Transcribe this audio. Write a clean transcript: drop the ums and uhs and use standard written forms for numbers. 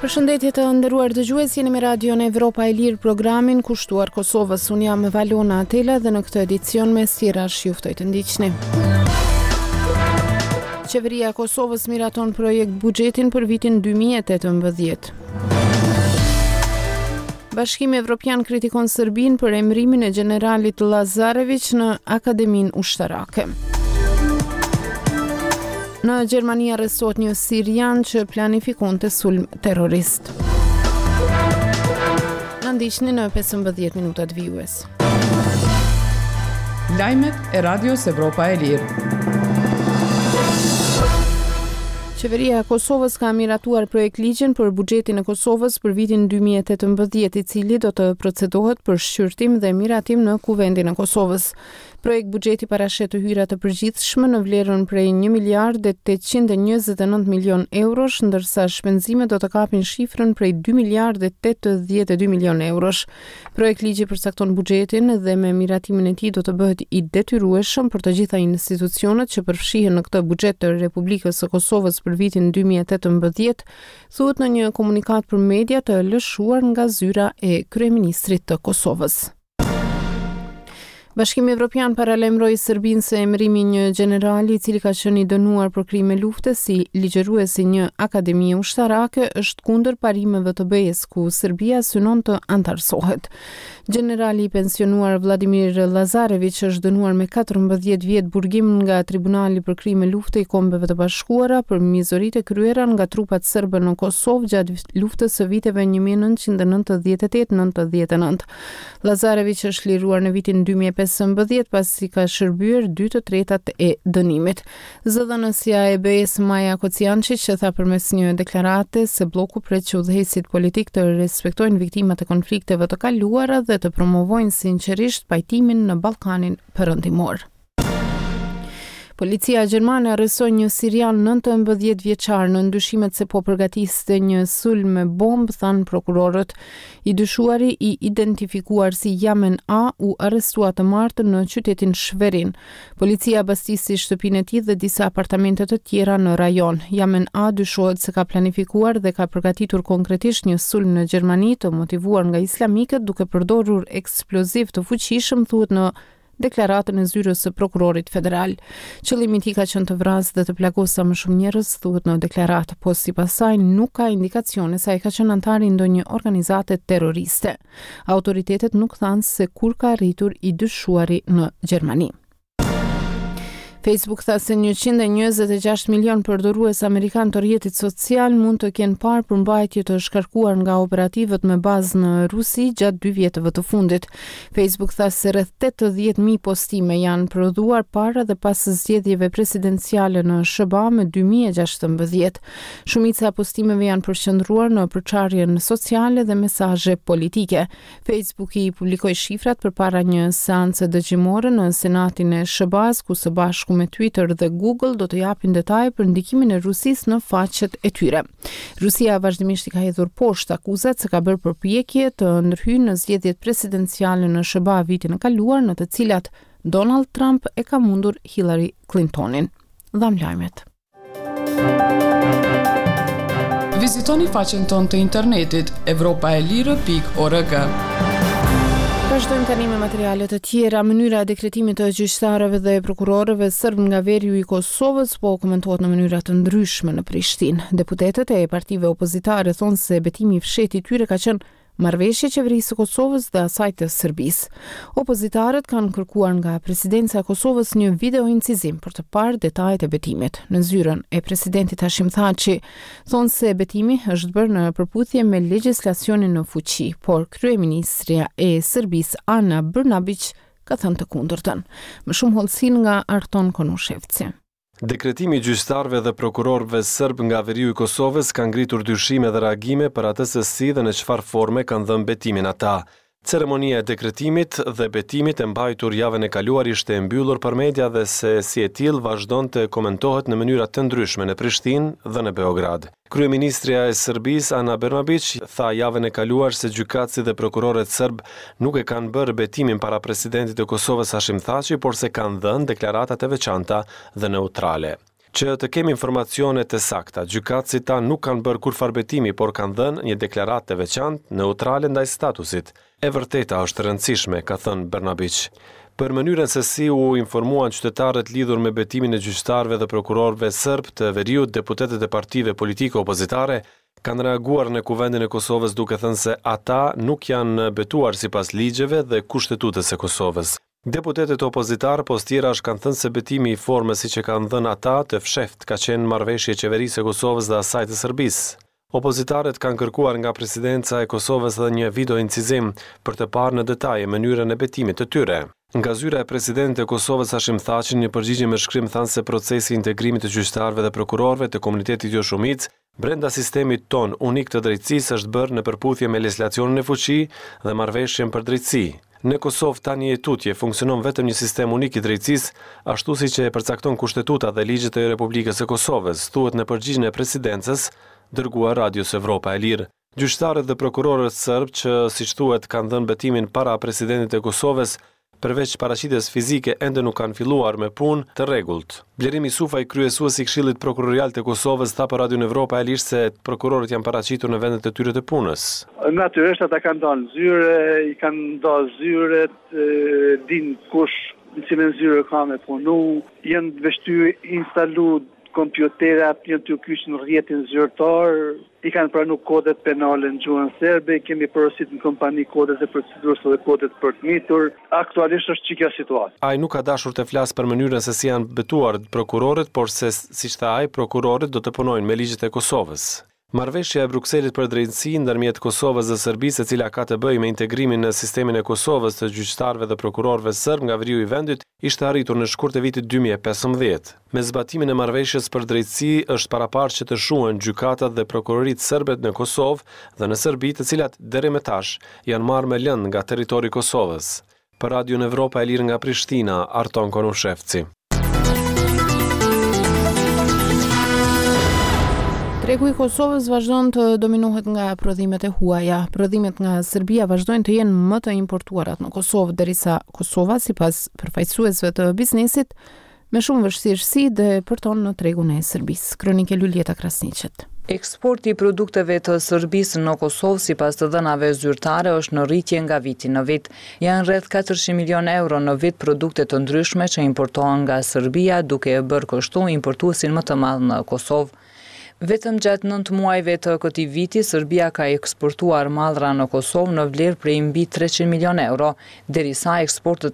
Përshëndetje të nderuar dëgjues, jeni me Radion Evropa e Lirë programin kushtuar Kosovës. Unë jam Valona Atela dhe në këtë edicion mes tjerash ju ftoj të ndiqni. Qeveria e Kosovës miraton projekt buxhetin për vitin 2018. Bashkimi Evropian kritikon Serbinë për emërimin e gjeneralit Lazarević në Akademinë Ushtarake. Në Gjermani arrestohet një sirian që planifikonte sulm terrorist. Na ndiqni në 15 minutat vijuese. Lajmet e Radios Evropa e Lirë. Qeveria e Kosovës ka miratuar projektligjin për buxhetin e Kosovës për vitin 2018, i cili do të procedohet për shqyrtim dhe miratim në Kuvendin e Kosovës. Projektbuxheti parasheh të hyra të përgjithshme në vlerën prej 1 miliard e 829 milion eurosh, ndërsa shpenzimet do të kapin shifrën prej 2 miliard e 82 milion eurosh. Projektligji përcakton buxhetin dhe me miratimin e tij do të bëhet i detyrueshëm për të gjitha institucionet që përfshihen në këtë buxhet të Republikës së Kosovës për vitin 2018, thuhet në një komunikatë për media të lëshuar nga zyra e kryeministrit të Kosovës. Bashkimi Evropian paralajmëroi Serbinë se emërimi i një gjenerali i cili ka qenë i dënuar për krime lufte si ligjërues i një akademie ushtarake është kundër parimeve të BE-së, ku Serbia synon të anëtarësohet. Gjenerali i pensionuar Vladimir Lazarević është dënuar me 14 vjet burgim nga Tribunali për Krime Lufte i Kombeve të Bashkuara për mizoritë e kryera nga trupat serbe në Kosovë gjatë luftës së viteve 1998-99. Lazarević është liruar në vitin 2015 pasi ka shërbyer dy të tretat e dënimit. Zëdhënësja e BE-së Maja Kocijançiq tha përmes një deklarate se blloku pret që udhëheqësit politikë të respektojnë viktimat e konflikteve të kaluara dhe të promovojnë sinqerisht pajtimin në Ballkanin Perëndimor. Policia gjermane arrestoi një sirian 19 vjeçar nën dyshimet se po përgatiste një sulm me bombë, thanë prokurorët. I dyshuari i identifikuar si Yamen A u arrestua të martën në qytetin Schwerin. Policia bastisi shtëpinë e tij dhe disa apartamente të tjera në rajon. Yamen A dyshohet se ka planifikuar dhe ka përgatitur konkretisht një sulm në Gjermani të motivuar nga islamikët duke përdorur eksploziv të fuqishëm, thuhet në deklaratën e zyrës së prokurorit federal. Qëllimi i tij ka qenë të vrasë dhe të plagosë sa më shumë njerëz, thuhet në deklaratë, po sipas saj nuk ka indikacione se ai ka qenë anëtar i ndonjë organizate terroriste. Autoritetet nuk thanë se kur ka arritur i dyshuari në Gjermani. Facebook tha se 126 milion përdorues amerikanë të rrjetit social mund të kenë parë përmbajtje të shkarkuar nga operativët me bazë në Rusi gjatë dy vjetëve të fundit. Facebook tha se rreth 80.000 postime janë prodhuar para dhe pas zgjedhjeve presidenciale në SHBA më 2016. Shumica e postimeve janë përqendruar në përçarjen sociale dhe mesazhe politike. Facebook i publikoi shifrat përpara një seance dëgjimore në Senatin e SHBA-s, ku së bashku me Twitter dhe Google do të japin detaje për ndikimin e Rusisë në faqet e tyre. Rusia vazhdimisht i ka hedhur poshtë akuzat se ka bërë përpjekje të ndërhyjë në zgjedhjet presidenciale në SHBA vitin e kaluar, në të cilat Donald Trump e ka mundur Hillary Clintonin. Dhamë lajmet. Vizitoni faqen tonë të internetit evropaelire.org. Vazhdojmë tani me materiale të tjera. Mënyra e dekretimit të gjyqtarëve dhe prokurorëve serbë nga veriu i Kosovës po komentohet në mënyra të ndryshme në Prishtinë. Deputetët e partive opozitare thonë se betimi i fshehtë i tyre ka qenë marrëveshje e qeverisë së Kosovës dhe asaj të Serbisë. Opozitarët kanë kërkuar nga presidenca e Kosovës një videoincizim për të parë detajet e betimit. Në zyrën e presidentit Hashim Thaçi thonë se betimi është bërë në përputhje me legjislacionin në fuqi, por kryeministrja e Serbisë Ana Brnabiq ka thënë të kundërtën. Më shumë hollësi nga Arton Konushevci. Dekretimi i gjyqtarëve dhe prokurorëve serbë nga veriu i Kosovës ka ngritur dyshime dhe reagime për atë se si dhe në çfarë forme kanë dhënë betimin ata. Ceremonia e dekretimit dhe betimit e mbajtur javën e kaluar ishte e mbyllur për media dhe se si e tillë vazhdon të komentohet në mënyra të ndryshme në Prishtinë dhe në Beograd. Kryeministrja e Serbisë, Ana Brnabiq, tha javën e kaluar se gjykatësit dhe prokurorët serbë nuk e kanë bërë betimin para presidentit të Kosovës Hashim Thaçi, por se kanë dhënë deklarata të veçanta dhe neutrale. Që të kemi informacione të sakta, gjykatësit tanë nuk kanë bërë kurrfarë betimi, por kanë dhënë një deklaratë të veçantë, neutrale ndaj statusit. E vërteta është e rëndësishme, ka thënë Brnabiq. Për mënyrën se si u informuan qytetarët lidhur me betimin e gjyqtarëve dhe prokurorëve serbë të veriut, deputetët e partive politike opozitare kanë reaguar në Kuvendin e Kosovës duke thënë se ata nuk janë betuar sipas ligjeve dhe Kushtetutës së Kosovës. Deputetët opozitarë pos tjerash kanë thënë se betimi i formës siç e kanë dhënë ata të fshehtë ka qenë marrëveshje e Qeverisë së Kosovës dhe asaj të Serbisë. Opozitarët kanë kërkuar nga Presidenca e Kosovës edhe një video-incizim për të parë në detaje mënyrën e betimit të tyre. Nga zyra e Presidentit të Kosovës Hashim Thaçi në një përgjigje me shkrim thanë se procesi i integrimit të gjyqtarëve dhe prokurorëve të komunitetit joshumicë brenda sistemit tonë unik të drejtësisë është bërë në përputhje me legjislacionin në fuqi dhe Marrëveshjen për Drejtësi. Në Kosovë tani e tutje funksionon vetëm një sistem unik i drejtësisë, ashtu siç e përcakton Kushtetuta dhe ligjet e Republikës së Kosovës, thuhet në përgjigjen e Presidencës, dërguar Radios Evropa e Lirë. Gjyqtarët dhe prokurorët serbë që, siç thuhet, kanë dhënë betimin para presidentit të Kosovës, përveç paraqitjes fizike ende nuk kanë filluar me punë të rregullt. Blerim Isufaj, kryesues i Këshillit Prokurorial të Kosovës, tha për Radion Evropa e Lirë se prokurorët janë paraqitur në vendet e tyre të punës. Natyrisht ata kanë dalë në zyre, i kanë nda zyret, dinë kush në cilën zyre ka me punu, janë veç tu instalu kompjuterat, janë tu kyç në rrjetin zyrtar, I kanë pranu kodet penale në gjuhën serbe, i kemi porosit në kompani kodet e procedurës dhe kodet për të mitur. Aktualisht është qikjo situatë. Ai nuk ka dashur të flasë për mënyrën se si janë betuar prokurorët, por se, siç tha ai, prokurorët do të punojnë me ligjet e Kosovës. Marrëveshja e Brukselit për drejtësi ndërmjet Kosovës dhe Serbisë, e cila ka të bëjë me integrimin në sistemin e Kosovës të gjyqtarëve dhe prokurorëve serbë nga veriu i vendit, ishte arritur në shkurt të vitit 2015. Me zbatimin e marrëveshjes për drejtësi është paraparë që të shuhen gjykatat dhe prokuroritë serbe në Kosovë dhe në Serbi, të cilat deri më tash janë marrë me lëndë nga territori i Kosovës. Për Radion Evropa e Lirë nga Prishtina, Arton Konushevci. Tregu i Kosovës vazhdon të dominohet nga prodhimet e huaja. Prodhimet nga Serbia vazhdojnë të jenë më të importuarat në Kosovë, derisa Kosova, sipas përfaqësuesve të biznesit, me shumë vështirësi depërton në tregun e Serbisë. Kronikë e Luljeta Krasniqit. Eksporti i produkteve të Serbisë në Kosovë, sipas të dhënave zyrtare, është në rritje nga viti në vit. Janë rreth 400 milionë euro në vit produkte të ndryshme që importohen nga Serbia, duke e bërë kështu importuesin më të madh në Kosovë. Vetëm gjatë nëntë muajve të këtij viti, Serbia ka eksportuar mallra në Kosovë në vlerë prej mbi 300 milionë euro, derisa eksportet.